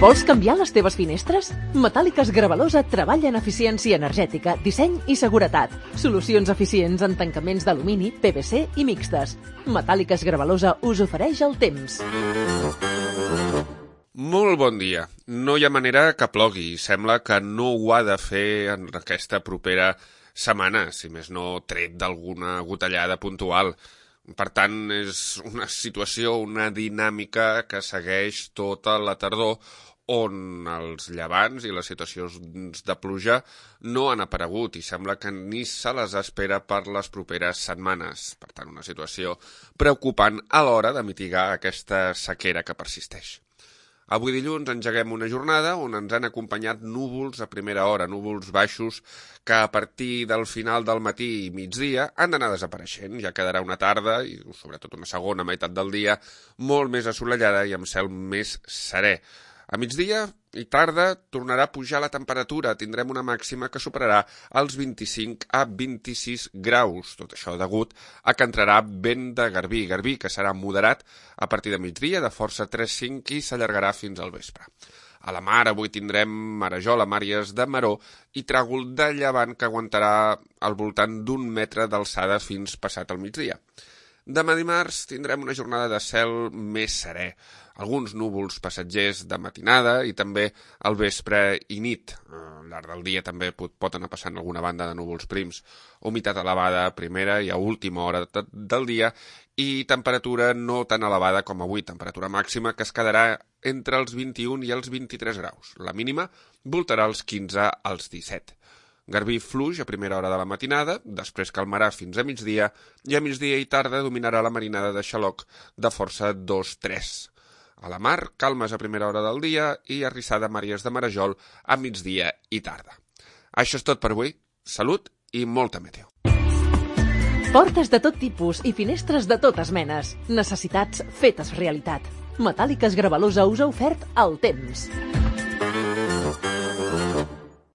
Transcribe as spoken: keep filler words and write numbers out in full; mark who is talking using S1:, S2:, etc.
S1: Vols canviar les teves finestres? Metàl·liques Gravalosa treballa en eficiència energètica, disseny i seguretat. Solucions eficients en tancaments d'alumini, P V C i mixtes. Metàl·liques Gravalosa us ofereix el temps.
S2: Molt bon dia. No hi ha manera que plogui. Sembla que no ho ha de fer en aquesta propera setmana, si més no tret d'alguna gotellada puntual. Per tant, és una situació, una dinàmica que segueix tota la tardor on els llevants i les situacions de pluja no han aparegut i sembla que ni se les espera per les properes setmanes. Per tant, una situació preocupant a l'hora de mitigar aquesta sequera que persisteix. Avui dilluns engeguem una jornada on ens han acompanyat núvols a primera hora, núvols baixos que a partir del final del matí i migdia han d'anar desapareixent. Ja quedarà una tarda i sobretot una segona meitat del dia molt més assolellada i amb cel més serè. A migdia i tarda tornarà a pujar la temperatura, tindrem una màxima que superarà els vint-i-cinc a vint-i-sis graus. Tot això degut a que entrarà vent de garbí, garbí que serà moderat a partir de migdia, de força tres cinc i s'allargarà fins al vespre. A la mar avui tindrem marejola, màries de maró i tràgol de llevant que aguantarà al voltant d'un metre d'alçada fins passat el migdia. Demà dimarts tindrem una jornada de cel més serè, alguns núvols passatgers de matinada i també al vespre i nit. Al llarg del dia també pot, pot anar passant alguna banda de núvols prims. Humitat elevada a primera i a última hora de, del dia i temperatura no tan elevada com avui, temperatura màxima que es quedarà entre els vint-i-un i els vint-i-tres graus. La mínima voltarà els quinze als disset. Garbí fluix a primera hora de la matinada, després calmarà fins a migdia i a migdia i tarda dominarà la marinada de xaloc de força dos tres. A la mar, calmes a primera hora del dia i arrissada màries de marejol a migdia i tarda. Això és tot per avui. Salut i molta meteo.
S1: Portes de tot tipus i finestres de totes menes. Necessitats fetes realitat. Metàl·liques Gravalosa us ha ofert el temps.